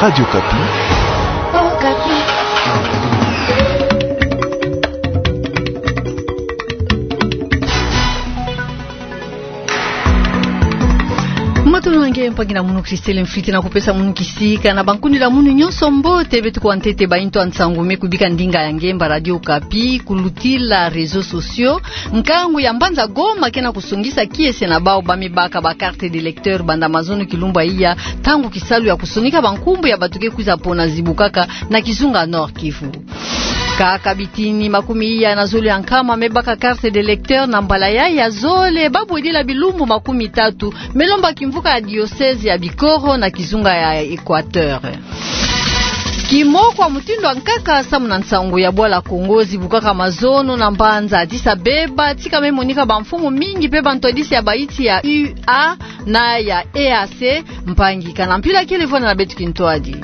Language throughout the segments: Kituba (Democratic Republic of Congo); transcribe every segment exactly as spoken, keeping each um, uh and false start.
Radio Okapi. Okapi. Matondo na nge mpangi na munu, Christelle Mfwiti na kupesa munu kisika na bankundi na munu nyonso mbote. Beto kwa ntete bainto ya nsangu me kubika ndinga ya nge mba Radio Okapi, kulutila réseaux sociaux. Nkangu ya mbanza Goma ke na kusongisa kiese na bawu ba me baka ba carte d'électeur banda mazono kilumbu ya iya, ntangu kisalu ya kusonika bankumbu ya bato ke kwiza pona zibukaka na kizunga Nord-Kivu. Kaka bitini makumi iya na zole ya nkama me baka carte d'électeur na mbala yayi ya zole, ba bwedila bilumbu makumi tatu, me lomba kimvuka ya diocèse ya Bikoro na kizunga ya Équateur. Kimoko ya mutindu ya nkaka samu na nsangu ya bwala Congo zibukaka mazono na mbanza Addis Abeba, tika me monika bamfumu mingi pe bantwadisi ya baiti ya U A na ya E A C, mpangi kana mpila kele vwanda na beto kintwadi.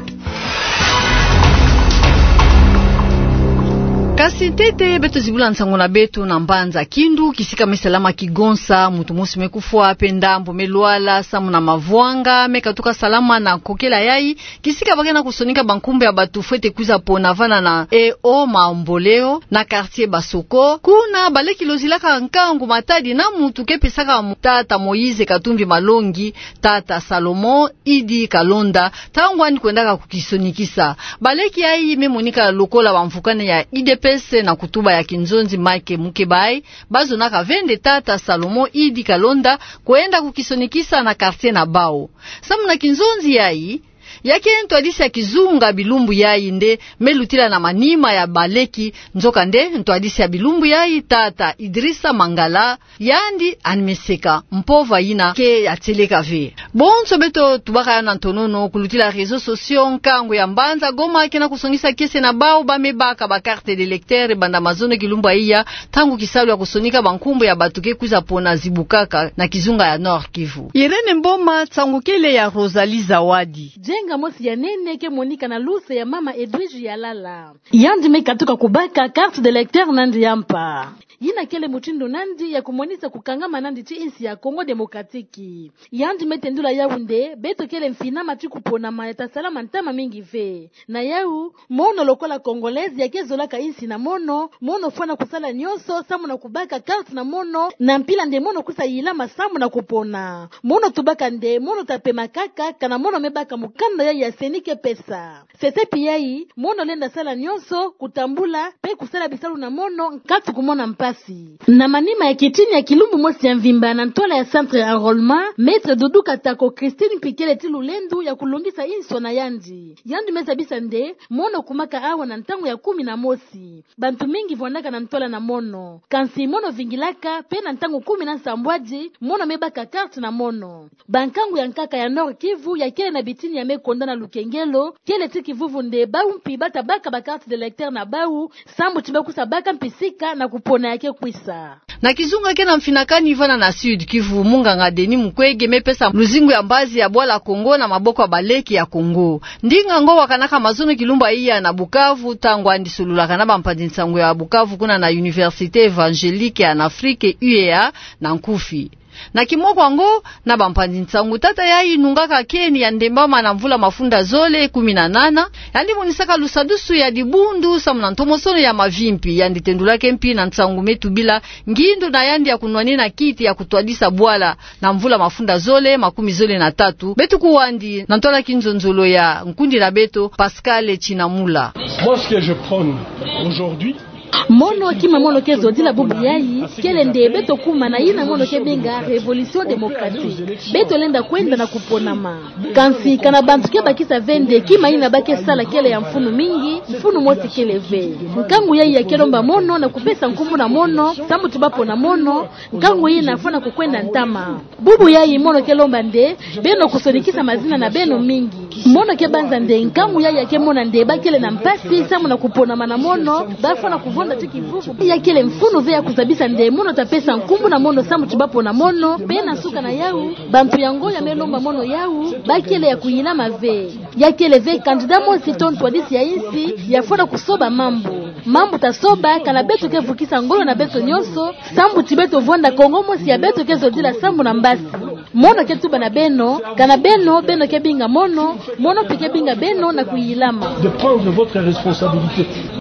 Kasi ntete beto zibula nsangu na beto na mbanza Kindu, kisika me salama kigonsa, mutu mosi me kufwa pe ndambu me lwala samu na mavwanga me katuka salama na kokela yayi, kisika ba ke na kusonika bankumbu ya bato fwete kwiza pona vana na E O Mamboleo na quartier Basoko. Kuna baleki lozilaka nkangu Matadi na mutu ke pesaka mu-, tata Moïse Katumbi Malongi, tata Salomon Idi Kalonda, ntangu yandi kwendaka kukisonikisa. Baleki yayi me monika lokola bamvukane ya U D P S na kutuba ya kinzonzi Mike Mukebayi, ba zonaka ve nde tata Salomon Idi Kalonda kwenda kukisonikisa na quartier na bawu. Samu na kinzonzi yayi, ya ke ntwadisi ya kizunga bilumbu yayi nde me lutila na manima ya baleki, nzokande ntwadisi ya bilumbu yayi, tata Idrissa Mangala, yandi yandi me seka mpova yina ke ya tieleka ve. Bonso beto tubaka yawu na ntonono kulutila réseaux sociaux, nkangu ya mbanza Goma ke na kusongisa kiese na bawu ba me baka ba carte d'électeur banda mazono kilumbu ya iya, ntangu kisalu ya kusonika bankumbu ya bato ke kwiza pona zibukaka na kizunga ya Nord-Kivu. Irène Mboma, nsangu kele ya Rosalie Zawadi. Jenga mosi ya nene ke monika na luse ya mama Edwige Yalala. Yandi me katuka kubaka carte d'électeur na yandi ya mpa. Yina kele mutindu na yandi ya kumonisa kukangama na yandi ti insi ya Congo Démocratique. Yandi me tendula yawu nde beto kele mfinama ti kuponama ya ta salama ntama mingi ve. Na yawu, mono lokola Congolais ya ke zolaka insi na mono, mono fwana kusala nyonso samu na kubaka carte na mono, na mpila nde mono kwiza yilama samu na kupona. Mono tubaka nde mono ta pema kaka kana mono me baka mukanda yayi ya CENI ke pesa. Sesepi yayi, mono lenda sala nyonso, kutambula, pe kusala bisalu na mono, nkatu kumona mpasi. Na manima ya kitini ya kilumbu mosi ya mvimba na ntwala ya centre ya enrôlement, Maître Doudou Katako Christine mpi kele ti lulendu ya kulongisa inso na yandi. Yandi me zabisa nde, mono kumaka awa na ntangu ya kumi na mosi. Bantu mingi vwandaka na ntwala na mono. Kansi mono vingilaka, pe na ntangu kumi na nsambwadi, mono me baka carte na mono. Bankangu ya nkaka ya Nord-Kivu ya kele na bitini ya me konda na lukengelo, kele ti kivuvu nde bawu mpi ba ta baka ba carte d'électeur na bawu, sambu ti ba kwiza baka mpisika na kupona ya ke kwiza. Na kizunga ke na mfinakani vana na Sud-Kivu, munganga Denis Mukwege me pesa luzingu ya mbazi ya bwala Congo na maboko ya baleki ya Congo. Ndinga ngo wakanaka mazono kilumbu ya iya na Bukavu, ntangu yandi solulaka na bampanzi nsangu ya Bukavu kuna na Université Évangélique en Afrique, U E A, na nkufi. Na kimoko yango, na bampanzi nsangu tata yayi nungaka keni ya Ndembama na mvula mafunda zole kumi na nana, yandi monisaka lusadusu ya dibundu samu na ntomosono ya mavimpi, yandi tendulaka mpi na nsangu me tubila ngindu na yandi ya kunwanina kiti ya kutwadisa bwala na mvula mafunda zole makumi zole na tatu. Beto kuwa yandi na ntwala kinzonzolo ya nkundi na beto, Pascal Chinamula. Moi, ce que je prône aujourd'hui, mono kima mono ke zodila bubu yayi, kele nde beto kuma na yina mono ke benga révolution démocratique. Beto lenda kwenda na kuponama. Kansi kana bantu ke bakisa ve nde kima yina ba ke sala kele ya mfunu mingi, mfunu mosi kele ve. Nkangu yayi ya ke lomba mono na kupesa nkumbu na mono, sambu ti ba pona mono, nkangu yina fwana kukwenda ntama. Bubu yayi mono ke lomba nde beno kusonikisa mazina na beno mingi. Mono ke banza nde nkangu yayi ya ke mona nde ba kele na mpasi samu na kuponama na mono, ba fwana kuvonda ti kivuvu. Ya kele mfunu ve ya kuzabisa nde mono ta pesa nkumbu na mono samu ti ba pona mono, pe na nsuka na yawu, bantu yango ya me lomba mono yawu, ba kele ya kuyilama ve. Ya kele ve candidat mosi to ntwadisi ya insi ya fwana kusoba mambu. Mambu ta soba kana beto ke vukisa ngolo na beto nyonso, sambu ti beto vonda Congo mosi ya beto ke zodila sambu na mbasi. Mono ke tuba na beno, kana beno, beno ke binga mono, mono mpe ke binga beno na kuyilama. De prendre votre responsabilité.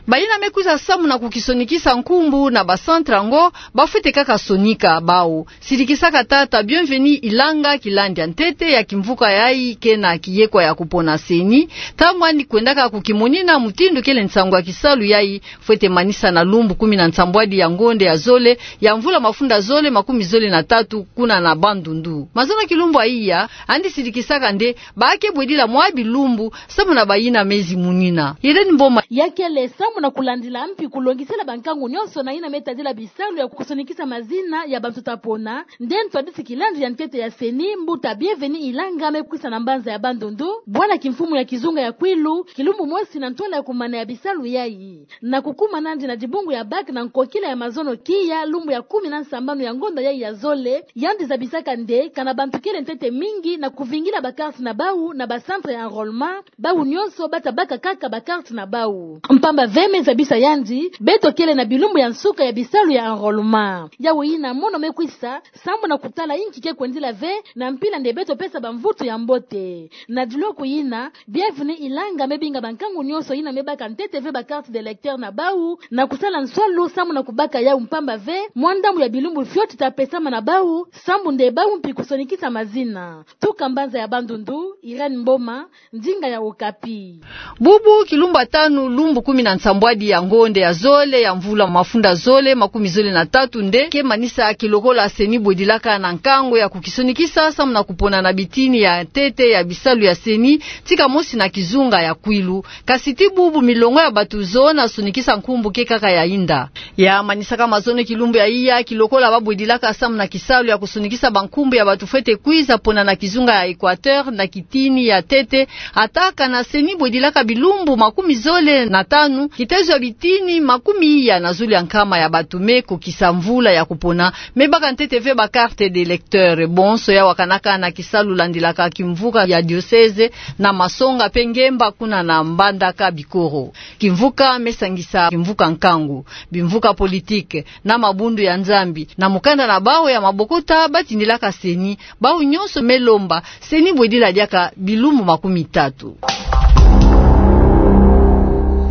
Bayina me kwiza samu na kukisonikisa nkumbu na ba centre yango, bafwete kaka sonika bawu. Sidikisaka tata Bienvenu Ilanga kilandi ya ntete ya kimvuka yayi ke na kiyekwa ya kupona CENI, ntangu yandi kwendaka kukimonina mutindu kele nsangu ya kisalu yayi fwete manisa na lumbu kumi na nsambwadi ya ngonde ya zole ya mvula mafunda zole makumi zole na tatu kuna na Bandundu. Mazono kilumbu ya iya, yandi sidikisaka nde ba ke bwedila mwa bilumbu samu na bayina me zimunina. Irène Mboma. Ya kele samu na kulandila mpi kulongisela bankangu nyonso na yina me tadila bisalu ya kusonikisa mazina ya bantu ta pona, nde ntwadisi kilandi ya ntete ya CENI, mbuta Bienvenu Ilanga, me kwisa na mbanza ya Bandundu, bwana kimfumu ya kizunga ya Kwilu, kilumbu mosi na ntwala ya kumana ya bisalu yayi. Na kukuma nandi na dibungu ya bac na nkokila ya mazono kiya lumbu ya kumi na nsambanu ya ngonda yayi ya zole, yandi zabisaka nde kana bantu kele ntete mingi na kuvingila ba carte na bawu na ba centre ya enrôlement, bawu nyonso bata baka kaka ba carte na bawu. Mpamba ve me zabisa yandi, beto kele na bilumbu ya nsuka ya bisalu ya enrôlement. Yawu yina mono me kwisa samu na kutala inki ke kwendila ve, na mpila nde beto pesa bamvutu ya mbote. Na diloku yina, Bienvenu Ilanga me binga bankangu nyonso yina me baka ntete ve ba carte d'électeur na bawu, na kusala nswalu samu na kubaka yawu, mpamba ve mwa ndambu ya bilumbu fioti ta pesama na bawu, samu nde bawu mpi kusonikisa mazina. Tuka mbanza ya Bandundu, Irène Mboma, ndinga ya Okapi. Bubu kilumbu ya tanu, lumbu kumi na nsambwadi ya ngonde ya zole ya mvula mafunda zole makumi zole na tatu nde ke manisa kilokola CENI bwedilaka na nkangu ya kukisonikisa samu na kupona na bitini ya ntete ya bisalu ya CENI, tika mosi na kizunga ya Kwilu. Kasi ti bubu milongo ya bantu zozo na sonikisa nkumbu ke kaka ya yinda. Ya manisaka mazono kilumbu ya iya, kilokola babwedilaka samu na kisalu ya kusonikisa bankumbu ya bantu fwete kwiza pona na kizunga ya Équateur na kitini ya ntete, ata kana CENI bwedilaka bilumbu makumi zole na tanu, kitezo ya bitini makumi iya na zulu ya nkama ya bantu me kokisa mvula ya kupona, me baka ntete ve ba carte d'électeur. Bonso ya wakanaka na kisalu landilaka kimvuka ya diocèse, na Masonga mpe Ngemba kuna na Mbandaka Bikoro. Kimvuka me sangisa kimvuka nkangu, bimvuka politique, na mabundu ya Nzambi, na mukanda na bawu ya mabokota batindilaka CENI, bawu nyonso me lomba CENI bwedila diaka bilumbu makumi tatu.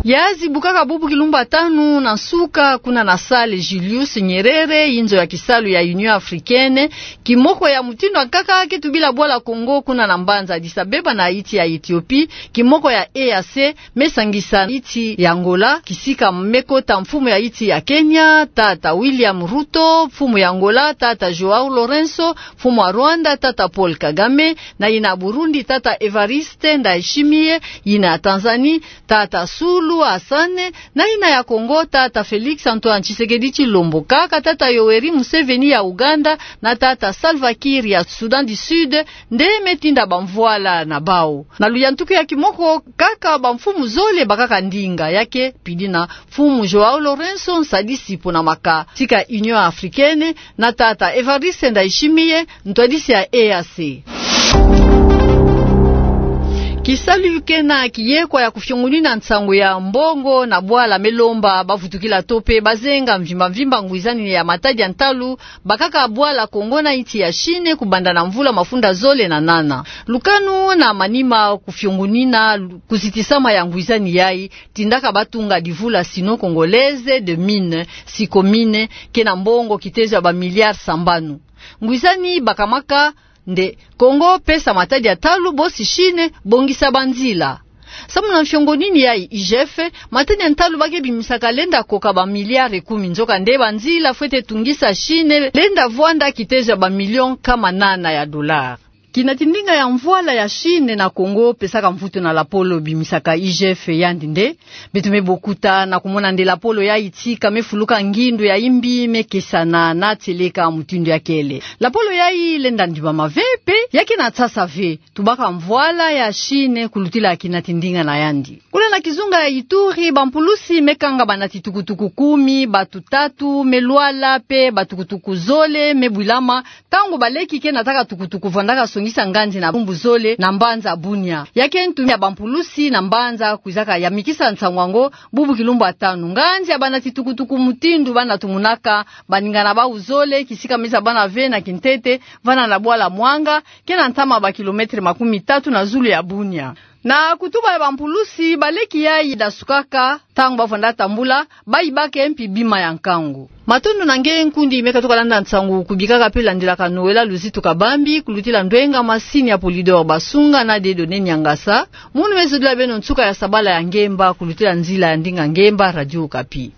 Ya zibukaka bubu kilumbu ya tanu na nsuka kuna na salle Julius Nyerere, yinzo ya kisalu ya Union Africaine, kimoko ya mutindu ya nkaka ke tubila bwala Congo kuna na mbanza Addis Abeba na yinti ya Ethiopie, kimoko ya E A C, me sangisa yinti ya Angola, kisika me kota mfumu ya yinti ya Kenya, tata William Ruto, mfumu ya Angola, tata João Lourenço, mfumu ya Rwanda, tata Paul Kagame, na yina Burundi, tata Evariste Ndayishimiye, yina Tanzanie, tata Suluhu Hassan, na yina ya Congo, tata Félix Antoine Tshisekedi Tshilombo, kaka tata Yoweri Museveni ya Uganda, na tata Salva Kiir ya Soudan du Sud, nde me tinda bamvwala na bawu. Na luyantuku ya kimoko, kaka bamfumu zole bakaka ndinga, ya ke pidi na mfumu João Lourenço, nsadisi pona maka tika Union Africaine, na tata Evariste Ndayishimiye, ntwadisi ya E A C. Kisalu ke na kiyekwa ya kufiongunina nsangu ya mbongo na bwala me lomba bavutukila to mpe bazenga mvimba mvimba ngwizani ya matadi ya ntalu bakaka bwala Congo na yinti ya Chine kubanda na mvula mafunda zole na nana. Lukanu na manima kufiongunina lu-, kuzitisama ya ngwizani yayi, tindaka batunga divula Sino-Congolaise des Mines, SICOMINES, ke na mbongo kitezo ya ba milliards sambanu. Ngwizani bakamaka nde Congo pesa matadi ya ntalu, bosi Chine bongisa banzila. Samu na mfiongunini yayi, I G F, matadi ya ntalu ba ke bimisaka lenda koka ba milliards kumi, nzokande banzila fwete tungisa Chine lenda vwanda kitezo ya ba millions nkama nana ya dollars. Kinati ndinga ya mvwala ya Chine na Congo pesaka mvutu na lapolo bimisaka I G F yandi nde, beto me bokuta na kumona nde lapolo yayi tika me fuluka ngindu ya yimbi me kesana na tieleka mutindu ya kele. Lapolo yayi lenda ndibama ve mpe ya ke na nsasa ve, tubaka mvwala ya Chine kulutila kinati ndinga na yandi. Kuna na kizunga ya Ituri, bampulusi me kanga banati tukutuku kumi, batu tatu me lwala mpe batukutuku zole me bwilama, ntangu baleki ke nataka tukutuku vandaka yamikisa nganzi na bumbu zole na mbanza Bunia. Ya ke ntumbi ya bampulusi na mbanza kwizaka yamikisa nsangu yango bubu kilumbu ya tanu. Nganzi ya bana titukutuku mutindu bana tumunaka baningana bau zole kisika miza bana ve na kintete, vana na bwala Mwanga, ke na ntama ba kilomètre makumi tatu na zulu ya Bunia. Na kutuba ya bampulusi, baleki yayi dasukaka ntangu bavwanda tambula, bayi bake mpi bima ya nkangu. Matondo na nge nkundi me katuka landa nsangu, kubikaka mpe landilaka Noëlla Luzitu Kabambi kulutila ndwenga masini ya Polydor Basunga na Dieudonné Niangasa. Munu me zodila beno nsuka ya sabala ya ngemba kulutila nzila ya ndinga ngemba Radio Okapi.